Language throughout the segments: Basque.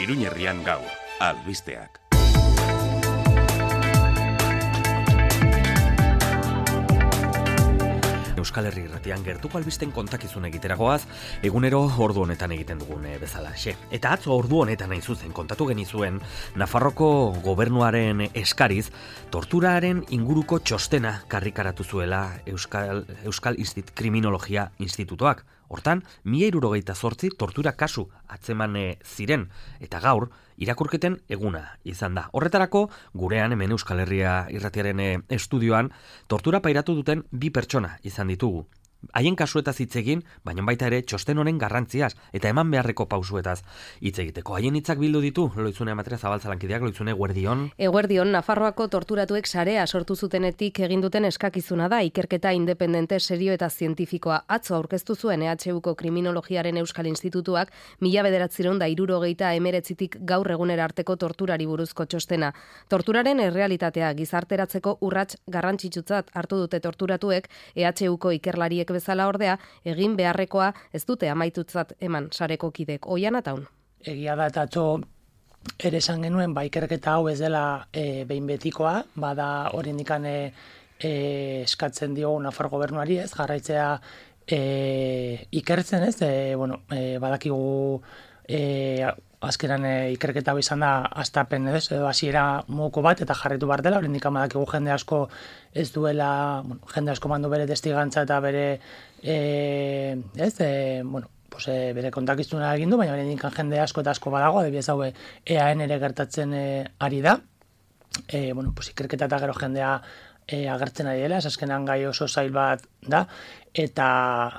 Iruñerrian gaur, albisteak. Euskal Herri Irratian gertuko albisten kontakizun egiteragoaz, egunero ordu honetan egiten dugun bezalaxe. Eta atzo ordu honetan hain zuzen kontatu genizuen Nafarroko gobernuaren eskariz, torturaren inguruko txostena karrikaratu zuela Euskal Kriminologia Institutoak. Hortan, 1068 tortura kasu atzeman ziren, eta gaur, irakurketen eguna izan da. Horretarako, gurean hemen Euskal Herria Irratiaren estudioan, tortura pairatu duten 2 pertsona izan ditugu. Haien kasuetaz hitz egin, baina baita ere txosten honen garrantziaz eta eman beharreko pausuetaz hitz egiteko. Haien hitzak bildu ditu, Loizune Amatria Zabaltzalankideak, Loizune, eguerdion. Eguerdion, Nafarroako torturatuek sarea sortu zutenetik egin duten eskakizuna da, ikerketa independente, serio eta zientifikoa. Atzo aurkeztu zuen EHUko Kriminologiaren Euskal Institutuak 1969tik gaur egunera arteko torturari buruzko txostena. Torturaren errealitatea gizarteratzeko urrats garrantzitsutzat hartu dute torturatuek, EHUko ikerlariek bezala ordea, egin beharrekoa ez dute amaitutzat eman sareko kidek. Oian ataun. Egia da eta atzo ere esan genuen, ikerketa hau ez dela behin betikoa, bada oraindikan eskatzen diogu Nafar gobernuari, ez jarraitzea ikertzen, ez? Badakigu azkenan ikerketa hau izan da hastapen, ez? Edo hasiera moduko bat eta jarraitu behar dela, oraindikan badakigu jende asko ez duela, jende asko mandu bere testigantza eta bere bere kontakizuna egin du, baina oraindikan jende asko eta asko badago, adibidez hau EAN ere gertatzen ari da. Ikerketa eta gero jendea agertzen ari dela, azkenan gai oso zail bat da, eta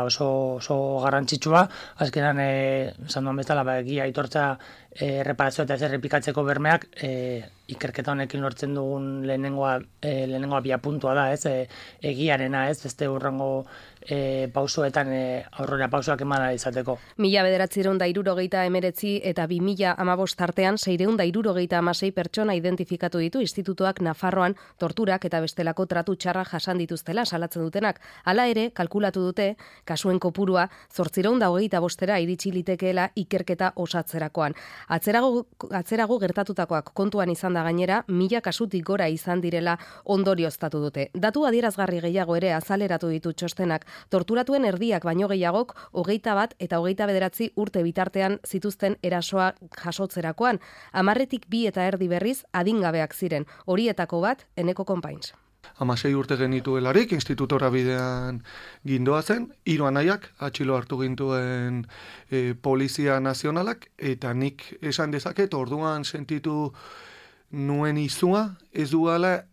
oso garrantzitsua, azkenan esan duan bezala, egia aitortza reparazio eta ez errepikatzeko bermeak ikerketa honekin lortzen dugun lehenengoa biapuntua da, ez, egiarena, ez, beste hurrengo pausoetan aurrera pausoak eman izateko. 1969 eta 2015 artean 666 pertsona identifikatu ditu institutuak Nafarroan torturak eta bestelako tratu txarra jasan dituztela salatzen dutenak. Hala ere, kalkulatu dute, kasuen kopurua 825 iritsi litekeela ikerketa osatzerakoan. Atzerago gertatutakoak kontuan izan da gainera, 1000 kasutik gora izan direla ondorioztatu dute. Datu adierazgarri gehiago ere azaleratu ditu txostenak, torturatuen erdiak baino gehiagok 21 eta 29 urte bitartean zituzten erasoa jasotzerakoan. 10tik 2 eta erdi berriz adingabeak ziren, horietako bat Eneko Konpains. 16 urte genituelarik, institutora bidean gindoa zen, 3 anaiak atxilo hartu gintuen Polizia Nazionalak, eta nik esan dezaket, orduan sentitu nuen izua, ez duela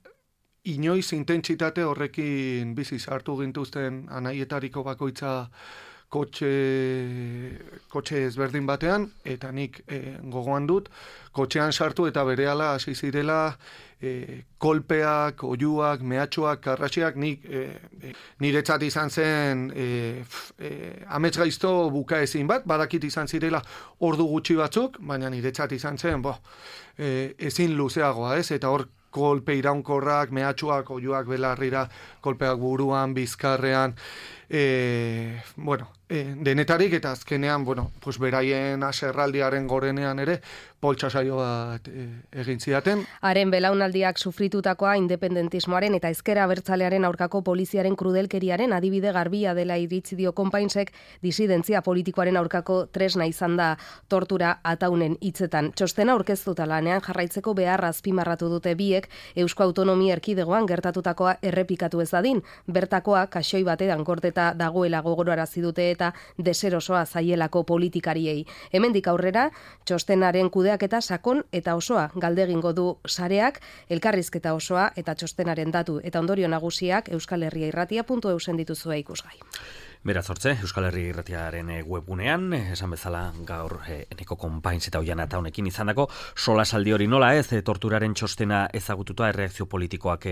inoiz intentsitate horrekin biziz hartu gintuzten anaietariko bakoitza kotxe ezberdin batean, eta nik gogoan dut, kotxean sartu eta berehala hasi zirela kolpeak, oiuak, mehatxuak, karratxeak, niretzat izan zen amets gaizto bukaezin bat, badakit izan zirela ordu gutxi batzuk, baina niretzat izan zen, ezin luzeagoa, ez, eta hor kolpe iraunkorrak, mehatxuak, oiuak belarrira, kolpeak buruan, bizkarrean, denetarik eta azkenean, beraien aserraldiaren gorenean ere, poltsa saio bat egin zidaten. Haren belaunaldiak sufritutakoa independentismoaren eta ezker abertzalearen aurkako poliziaren krudelkeriaren adibide garbia dela iritzi dio Konpainsek, disidentzia politikoaren aurkako tresna izan da tortura ataunen hitzetan. Txostena aurkeztuta lanean jarraitzeko beharra azpimarratu dute biek Eusko Autonomia Erkidegoan gertatutakoa errepikatu ez dadin. Bertakoa kaxoi batean gordeta dagoela gogorarazi dute eta deserosoa zaielako politikariei. Hemendik aurrera, txostenaren kudeaketa sakon eta osoa galdegingo du sareak, elkarrizketa osoa eta txostenaren datu eta ondorio nagusiak euskalherriairratia.eu dituzue ikusgai. Beraz hortze, Euskal Herri Irratiaren webgunean, esan bezala gaur Eneko Konpains eta Oian Ataunekin izandako solasaldi hori nola ez, torturaren txostena ezagututa erreakzio politikoak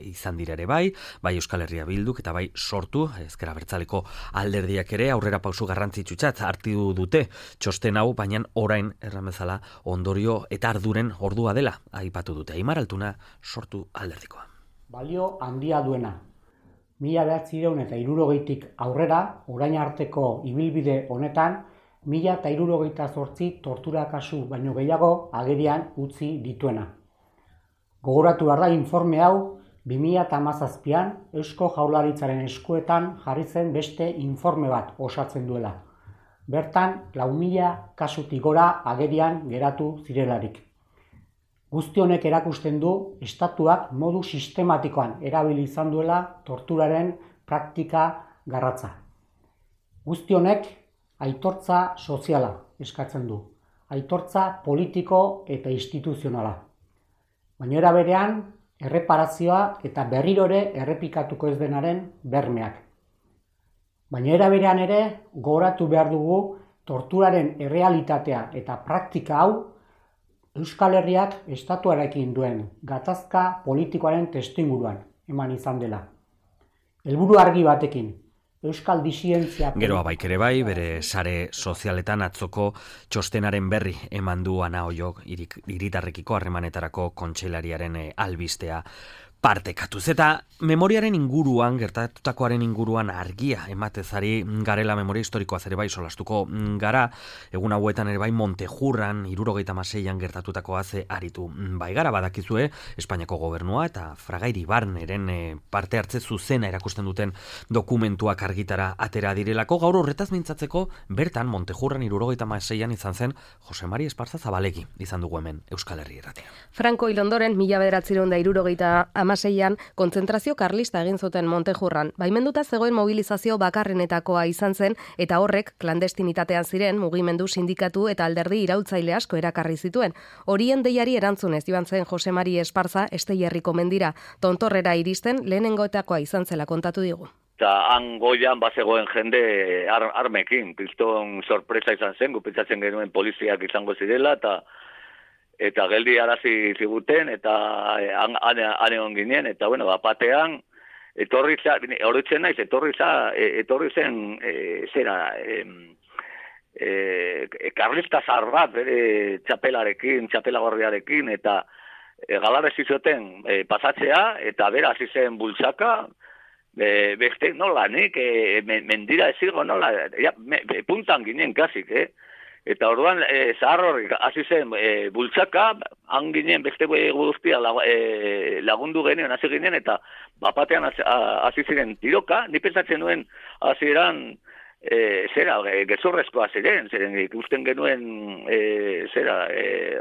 izan dira ere bai Euskal Herria Bilduk eta bai Sortu, ezker abertzaleko alderdiak ere aurrera pausu garrantzitsutzat hartu dute txosten hau, baina orain erran bezala ondorio eta arduren ordua dela aipatu dute. Aimar Altuna, Sortu alderdikoa. Balio handia duena. 1960tik aurrera, orain arteko ibilbide honetan, 1068 tortura kasu baino gehiago agerian utzi dituena. Gogoratu behar da informe hau 2017an Eusko Jaurlaritzaren eskuetan jarri zen beste informe bat osatzen duela. Bertan 4.000 kasutik gora agerian geratu zirelarik. Guzti honek erakusten du estatuak modu sistematikoan erabili izan duela torturaren praktika garratza. Guzti honek aitortza soziala eskatzen du, aitortza politiko eta instituzionala. Baina era berean, erreparazioa eta berriro ere errepikatuko ez denaren bermeak. Baina era berean ere, gogoratu behar dugu torturaren errealitatea eta praktika hau Euskal Herriak estatuarekin duen gatazka politikoaren testuinguruan eman izan dela. Helburu argi batekin, Euskal disidentzia... Geroa baik ere bai, bere sare sozialetan atzoko txostenaren berri eman du Ana Ollok hiritarrekiko harremanetarako kontseilariaren albistea partekatuz. Eta memoriaren inguruan, gertatutakoaren inguruan argia ematezari garela memoria historikoaz ere bai solastuko gara, egun hauetan ere bai Montejurran 76an gertatutakoaz aritu bai gara, badakizue Espainiako gobernua eta Fraga Iribarneren parte hartze zuzena erakusten duten dokumentuak argitara atera direlako. Gaur horretaz mintzatzeko bertan Montejurran 76an izan zen Jose Mari Esparza Zabalegi izan dugu hemen Euskal Herri Irratia. Franco hil ondoren 1976an kontzentrazio karlista egin zuten Montejurran. Baimenduta zegoen mobilizazio bakarrenetakoa izan zen eta horrek klandestinitatean ziren mugimendu, sindikatu eta alderdi iraultzaile asko erakarri zituen. Horien deiari erantzunez joan zen Jose Mari Esparza Esteiherriko mendira. Tontorrera iristen lehenengoetakoa izan zela kontatu digu. Eta han goian bazegoen jende armekin, piston sorpresa izan zen, gupitzatzen genuen poliziak izango zirela, eta geldi arazi ziguten, eta han ginen, eta bueno, batean, etorri zen, karlista zahar bat, bere txapelagorriarekin, eta galarrez izoten pasatzea, eta bera hasi zen bultzaka, beste nola, nik mendira ezigo nola, puntan ginen kasik, Eta orduan zahar horrik hasi zen bultzaka, han ginen beste guztia lagundu genuen, hasi ginen, eta bapatean hasi ziren tiroka, ni pentsatzen nuen hasieran gezurrezkoa ziren ikusten genuen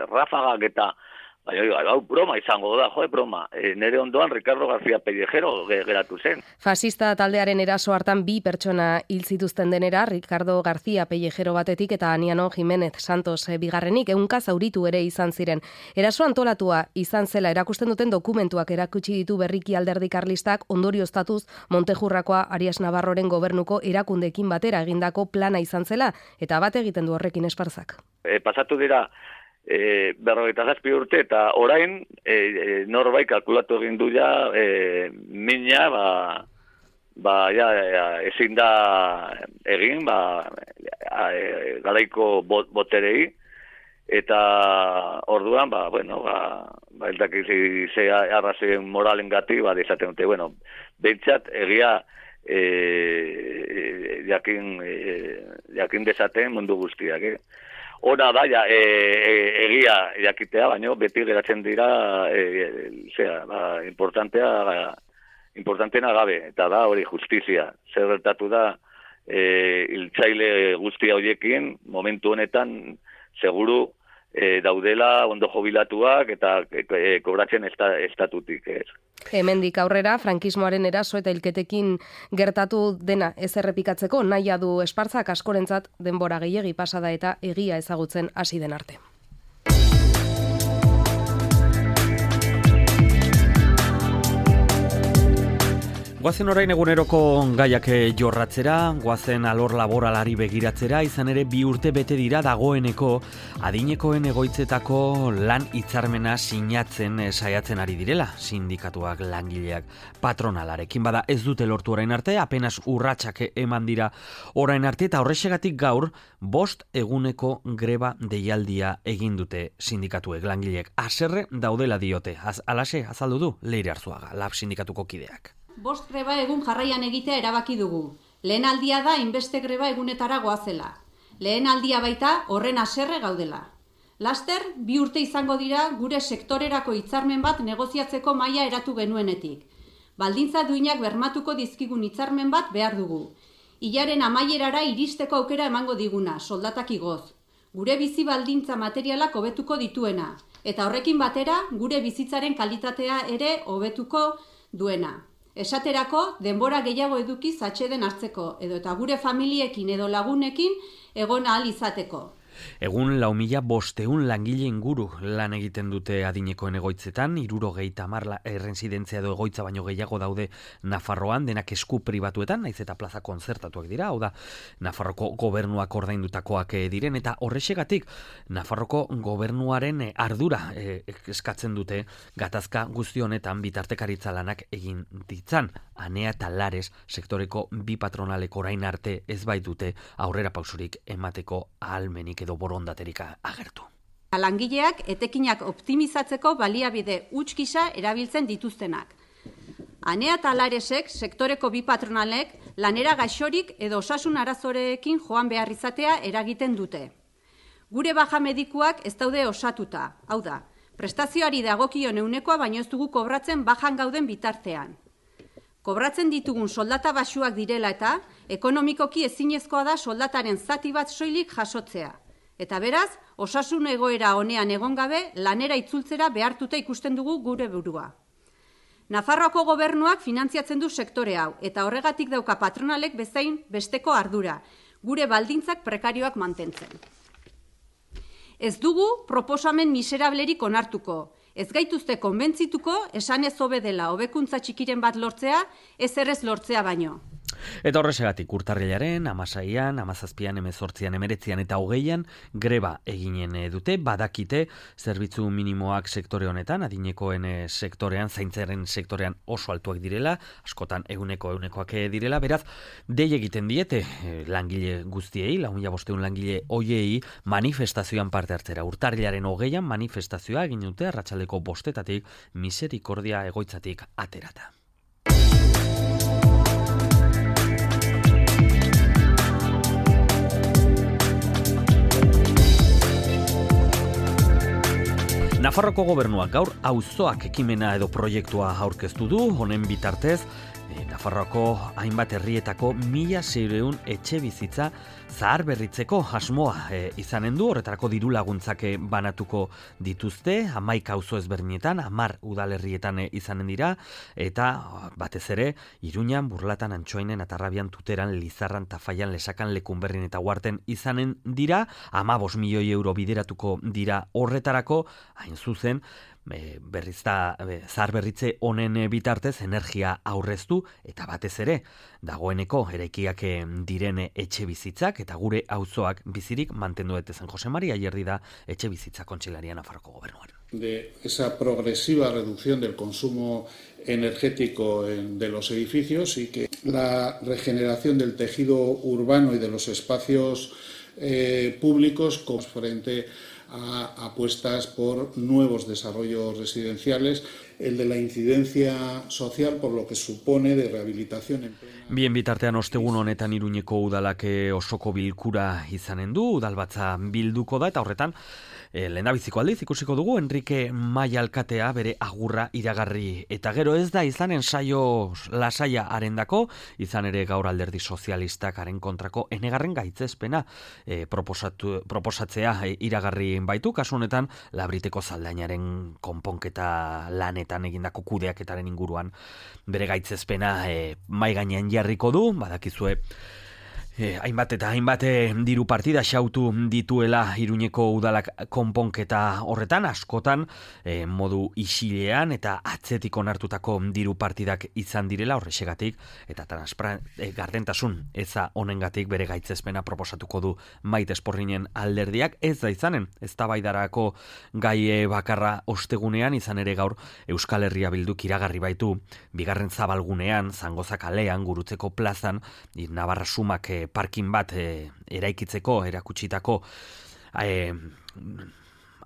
rafagak eta hau broma izango da, broma. Nere ondoan Ricardo García Pellejero geratu zen. Fasista taldearen eraso hartan 2 pertsona hil zituzten denera, Ricardo García Pellejero batetik eta Aniano Jiménez Santos bigarrenik 100 zauritu ere izan ziren. Eraso antolatua izan zela erakusten duten dokumentuak erakutsi ditu berriki alderdi karlistak ondorioztatuz Montejurrakoa Arias Navarroren gobernuko erakundeekin batera egindako plana izan zela, eta bat egiten du horrekin Esparzak. Pasatu dira 47 urte eta orain norbait kalkulatu egin du ja mina ezin da egin garaiko boterei eta orduan ez dakit ze arrazien moralengatik izaten dute behintzat egia jakin dezaten mundu guztiak Ona da, egia jakitea, baina beti geratzen dira importanteena gabe, eta da hori justizia. Zer gertatu da, hiltzaile guztia horiekin, momentu honetan, seguru daudela ondo jubilatuak eta kobratzen estatutik. Hemendik aurrera, frankismoaren eraso eta hilketekin gertatu dena ez errepikatzeko nahia du Esparzak askorentzat denbora gehiegi pasada eta egia ezagutzen hasi den arte. Goazen orain eguneroko gaiak jorratzera, goazen alor laboralari begiratzera, izan ere 2 urte bete dira dagoeneko adinekoen egoitzetako lan hitzarmena sinatzen saiatzen ari direla, sindikatuak, langileak, patronalarekin bada ez dute lortu orain arte, apenas urratsak eman dira orain arte, eta horrexegatik gaur 5 eguneko greba deialdia egin dute sindikatuek, langileek, haserre daudela diote, alaxe azaldu du Leire Arzuaga, LAB sindikatuko kideak. 5 greba egun jarraian egitea erabaki dugu. Lehen aldia da inbeste greba egunetara goazela. Lehen aldia baita horren haserre gaudela. Laster, 2 urte izango dira gure sektorerako hitzarmen bat negoziatzeko maila eratu genuenetik. Baldintza duinak bermatuko dizkigun hitzarmen bat behar dugu. Hilaren amaierara iristeko aukera emango diguna, soldatak igoz. Gure bizi baldintza materialak hobetuko dituena, eta horrekin batera gure bizitzaren kalitatea ere hobetuko duena. Esaterako, denbora gehiago edukiz atseden hartzeko, edo eta gure familiekin edo lagunekin egon ahal izateko. Egun 4.500 langile inguru lan egiten dute adinekoen egoitzetan, 70 erresidentzia edo egoitza baino gehiago daude Nafarroan, denak esku pribatuetan, naiz eta plaza konzertatuak dira, hau da, Nafarroko gobernuak ordaindutakoak diren, eta horrexegatik Nafarroko gobernuaren ardura eskatzen dute gatazka guzti honetan bitartekaritza lanak egin ditzan. Anea eta Lares sektoreko bi patronalek orain arte ez baitute aurrera pausurik emateko ahalmenik edo borondaterik agertu. Langileak etekinak optimizatzeko baliabide huts gisa erabiltzen dituztenak. Anea eta Laresek sektoreko bi patronalek lanera gaixorik edo osasun arazorekin joan behar izatea eragiten dute. Gure baja medikuak ez daude osatuta, hau da, prestazioari dagokion eunekoa baino ez dugu kobratzen bajan gauden bitartean. Kobratzen ditugun soldata baxuak direla eta ekonomikoki ezinezkoa da soldataren zati bat soilik jasotzea. Eta beraz, osasun egoera honean egon gabe lanera itzultzera behartuta ikusten dugu gure burua. Nafarroako gobernuak finantziatzen du sektore hau, eta horregatik dauka patronalek bezain besteko ardura, gure baldintzak prekarioak mantentzen. Ez dugu proposamen miserablerik onartuko, ez gaituzte konbentzituko esanez hobe dela hobekuntza txikiren bat lortzea, ez errez lortzea baino. Eta horrexegatik urtarrilaren 16an, 17an, 18an, 19an eta 20an greba eginen dute, badakite zerbitzu minimoak sektore honetan, adinekoen sektorean, zaintzaren sektorean oso altuak direla, askotan egunekoak direla, beraz, dei egiten diete langile guztiei, 4.500 langile hoiei manifestazioan parte hartzera. Urtarrilaren 20an manifestazioa egin dute arratsaldeko 5:00 Misericordia egoitzatik aterata. Nafarroko gobernuak gaur auzoak ekimena edo proiektua aurkeztu du, honen bitartez, Nafarroako hainbat herrietako 1.600 etxe bizitza zahar berritzeko asmoa izanen du, horretarako diru laguntzak banatuko dituzte, 11 auzo ezberdinetan, 10 udalerrietan izanen dira, eta batez ere, Iruñan, Burlatan, Antsoainen, Atarrabian, Tuteran, Lizarran, Tafaian, Lesakan, Lekunberrin eta Uarten izanen dira, 15 milioi euro bideratuko dira horretarako, hain zuzen, zahar berritze honen bitartez energia aurreztu eta batez ere dagoeneko eraikiak diren etxe bizitzak eta gure auzoak bizirik mantendu daitezen. Jose Maria Ayerdi da etxe bizitza kontseilaria Nafarroko gobernuan. De esa progresiva reducción del consumo energético de los edificios y que la regeneración del tejido urbano y de los espacios públicos frente a apuestas por nuevos desarrollos residenciales, el de la incidencia social por lo que supone de rehabilitación en plena... Bien bitartean ostegun honetan Iruñeko udalak osoko bilkura izanen du, udalbatza bilduko da, eta horretan lehendabiziko aldiz ikusiko dugu Enrique Maia alkatea bere agurra iragarri, eta gero ez da izanen saio lasaia arendako, izan ere gaur Alderdi Sozialistak haren kontrako enegarren gaitzespena proposatzea iragarri baitu, kasu honetan Labriteko zaldainaren konponketa lanetan egindako kudeaketaren inguruan bere gaitzespena mai gainean jarriko du, badakizue hainbat eta hainbat diru partida xautu dituela Iruñeko udalak konponketa horretan, askotan modu isilean eta atzetik onartutako diru partidak izan direla, horrexegatik eta gardentasun eza honengatik bere gaitzespena proposatuko du Maite Esporrinen alderdiak, ez da izanen eztabaidarako gai bakarra ostegunean, izan ere gaur Euskal Herria Bilduk iragarri baitu bigarren zabalgunean, Zangoza kalean, Gurutzeko plazan, Navarra Sumak parkin bat eraikitzeko erakutsitako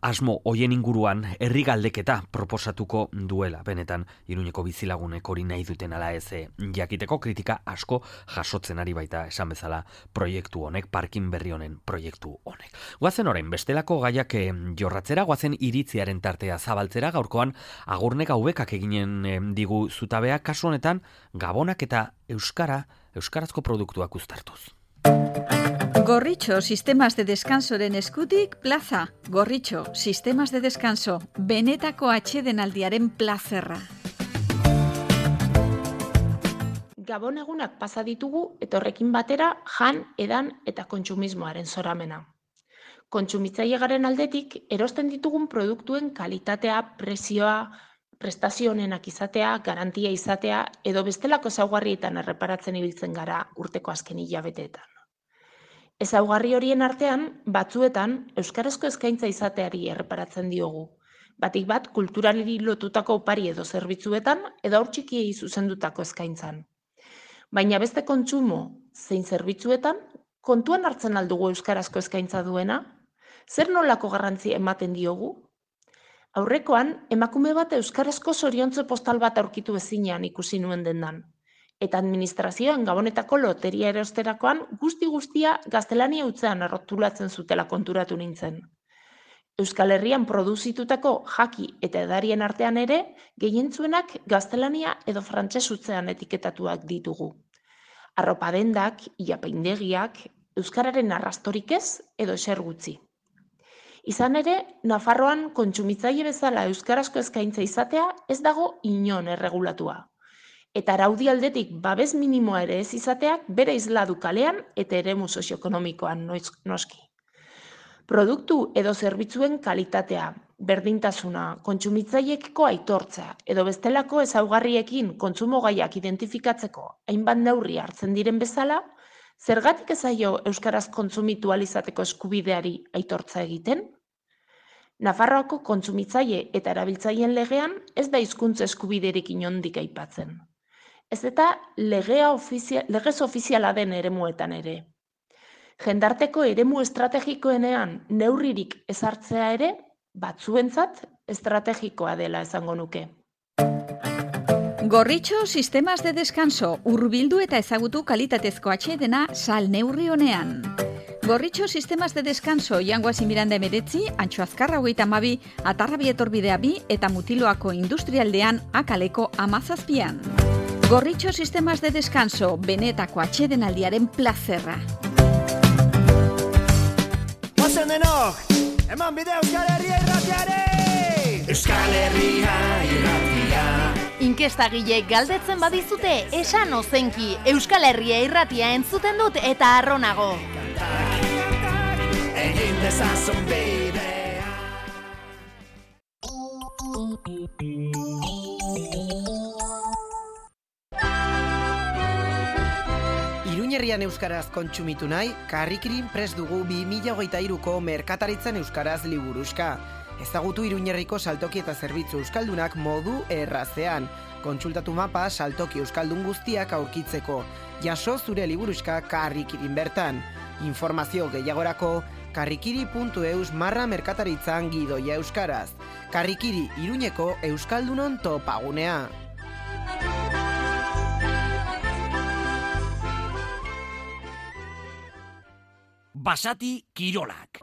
asmo hoien inguruan herri galdeketa proposatuko duela. Benetan, Iruñeko bizilagunek hori nahi duten ala ez jakiteko kritika asko jasotzen ari baita esan bezala proiektu honek, parkin berri honen proiektu honek. Goazen orain, bestelako gaiak jorratzera, goazen iritziaren tartea zabaltzera, gaurkoan Agurnek Haubekak eginen digu zutabea, kasu honetan gabonak eta euskarazko produktuak uztartuz. Gorritxo, sistemas de descansoren eskutik, plaza. Gorritxo, sistemas de descanso, benetako atsedenaldiaren plazerra. Gabon egunak pasa ditugu eta horrekin batera jan, edan eta kontsumismoaren zoramena. Kontsumitzaile garen aldetik, erosten ditugun produktuen kalitatea, prezioa, prestazio honenak izatea, garantia izatea edo bestelako ezaugarrietan erreparatzen ibiltzen gara urteko azken hilabeteetan. Ezaugarri horien artean, batzuetan, euskarazko eskaintza izateari erreparatzen diogu. Batik bat, kulturali lotutako opari edo zerbitzuetan edo haur txikiei zuzendutako eskaintzan. Baina beste kontsumo zein zerbitzuetan, kontuan hartzen aldugu euskarazko eskaintza duena? Zer nolako garrantzia ematen diogu? Aurrekoan, emakume bat euskarazko zoriontzo postal bat aurkitu ezinean ikusi nuen dendan. Eta administrazioan gabonetako loteria erosterakoan guzti-guztia gaztelania hutzean arrotulatzen zutela konturatu nintzen. Euskal Herrian produzitutako jaki eta edarien artean ere, gehientzuenak gaztelania edo frantses hutzean etiketatuak ditugu. Arropa dendak, ilapaindegiak, euskararen arrastorik ez edo eser gutxi. Izan ere, Nafarroan kontsumitzaile bezala euskarazko eskaintza izatea ez dago inon erregulatua. Eta araudi aldetik babes minimoa ere ez izateak bere isla du kalean eta eremu sozioekonomikoan noski. Produktu edo zerbitzuen kalitatea, berdintasuna, kontsumitzaileekiko aitortza edo bestelako ezaugarriekin kontsumogaiak identifikatzeko hainbat neurri hartzen diren bezala, zergatik ez zaio euskaraz kontsumitu ahal izateko eskubideari aitortza egiten? Nafarroako kontsumitzaile eta erabiltzaileen legean ez da hizkuntza eskubiderik inondik aipatzen. Ez eta legez ofiziala den eremuetan ere. Jendarteko eremu estrategikoenean neurririk ezartzea ere, batzuentzat estrategikoa dela esango nuke. Gorritxo, sistemas de descanso, hurbildu eta ezagutu kalitatezko atsedena sal neurri honean. Gorritxo, sistemas de descanso, Jangoasi Miranda 19, Antxo Azkarra 32, Atarrabi etorbidea 2 eta Mutiloako industrialdean Akaleko 17. Gorritxo, sistemas de descanso, benetako atsedenaldiaren plazerra. Ozen denok, eman bide Euskal Herria irratiare! Euskal Herria irratia. Inkestagile galdetzen badizute, esan ozenki, Euskal Herria irratia entzuten dut eta arronago. Egin dezazun bidea. Iruñerrian euskaraz kontsumitu nahi, Karrikirin prest dugu 2023ko merkataritzan euskaraz liburuxka. Ezagutu Iruñerriko saltoki eta zerbitzu euskaldunak modu errazean. Kontsultatu mapa saltoki euskaldun guztiak aurkitzeko. Jaso zure liburuxka Karrikirin bertan. Informazio gehiagorako karrikiri.eus/merkataritzan gidoia euskaraz. Karrikiri, Iruñeko euskaldunon topagunea. Basati Kirolak.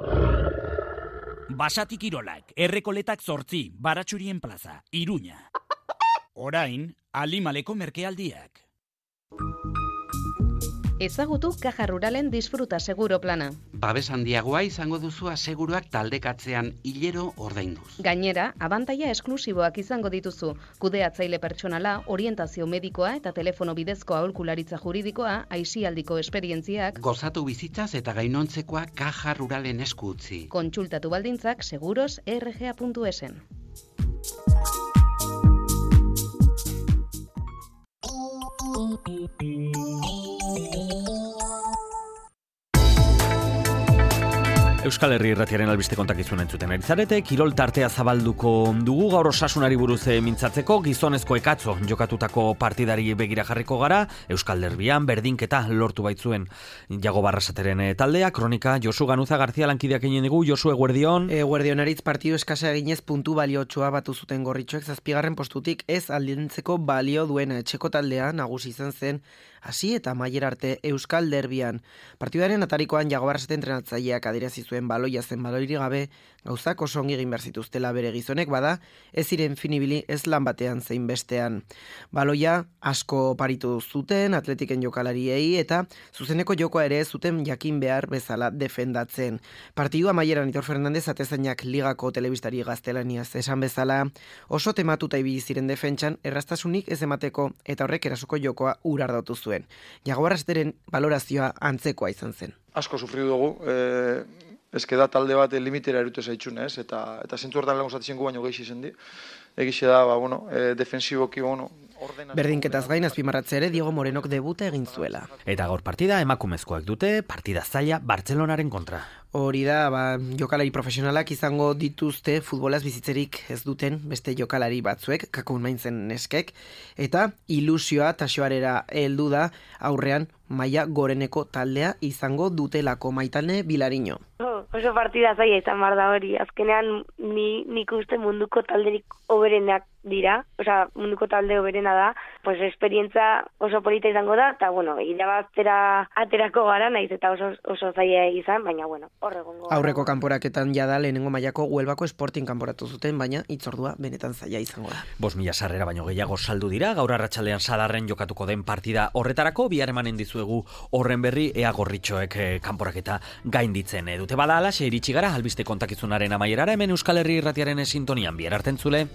Basati Kirolak, Errekoletak 8, Baratxurien plaza, Iruña. Orain, Alimaleko merkealdiak. Ezagutu Caja Ruralen disfruta seguro plana. Babes handiagoa izango duzu aseguruak taldekatzean hilero ordainduz. Gainera, abantaila esklusiboak izango dituzu. Kudeatzaile pertsonala, orientazio medikoa eta telefono bidezko aholkularitza juridikoa, aisialdiko esperientziak. Gozatu bizitzaz eta gainontzekoa Caja Ruralen esku utzi. Kontsultatu baldintzak seguros.rga.esen. Euskal Herri Irratiaren albiste kontakizun entzuten erizarete, kirol tartea zabalduko dugu gaur Osasunari buruz mintzatzeko, gizonezko ekatzo jokatutako partidari begira jarriko gara, Euskal Derbian berdinketa lortu baitzuen Jago Barrasateren taldea, kronika Josu Ganuza Garzia lankideak egin dugu. Josu, eguerdion. Eguerdionaritz partidu eskasa eginez puntu baliotsua batu zuten Gorritxoek 7. postutik ez aldentzeko balio duena etxeko taldea nagusi izan zen hasi eta amaiera arte Euskal Derbian. Partidaren atarikoan Jago Barrasate entrenatzaileak adierazi zuen baloia zen baloiri gabe, gauzak oso ongi egin behar zituztela bere gizonek, bada ez ziren finibili ez lan batean zein bestean. Baloia asko paritu zuten atletiken jokalariei eta zuzeneko jokoa ere zuten jakin behar bezala defendatzen. Partidu amaieran Aitor Fernandez atezainak ligako telebistari gaztelaniaz esan bezala, oso tematuta ibili ziren defentsan errastasunik ez emateko eta horrek erasuko jokoa urardatu zuen. Jago Barrasateren balorazioa antzekoa izan zen. Asko sufridu dugu, ezke da talde bat limitera erute zaitxun, ez? Eta zentzu hortan lagun zatzen gu baino gehi izen di. Egixe da, defensiboki, Berdinketaz gain azpimarratzea ere Diego Morenok debuta egin zuela. Eta gaur partida emakumezkoak dute, partida zaila Bartzelonaren kontra. Hori da, jokalari profesionalak izango dituzte futbolaz bizitzerik ez duten beste jokalari batzuek, kakun maintzen neskek, eta ilusioa taxoarera heldu da aurrean maila goreneko taldea izango dutelako Maitane Bilariño. Oso partida zaila izan bar da hori, azkenean nik uste munduko talderik oberenak dira, munduko talde oberena da, esperientza oso polita izango da, eta irabaztera aterako gara, naiz eta oso zaila izan, baina horregongo. Aurreko kanporaketan jada lehenengo mailako Huelvako Sporting kanporatu zuten, baina hitzordua benetan zaila izango da. 5.000 sarrera baino gehiago saldu dira, gaur arratsaldean Sadarren jokatuko den partida horretarako, bihar emanen dizuegu horren berri ea Gorritxoek kanporaketa gainditzen dute. Bada alaxe iritsi gara albiste kontakizunaren amaierara, hemen Euskal Herri Irratiaren sintonian bihar arte entzule.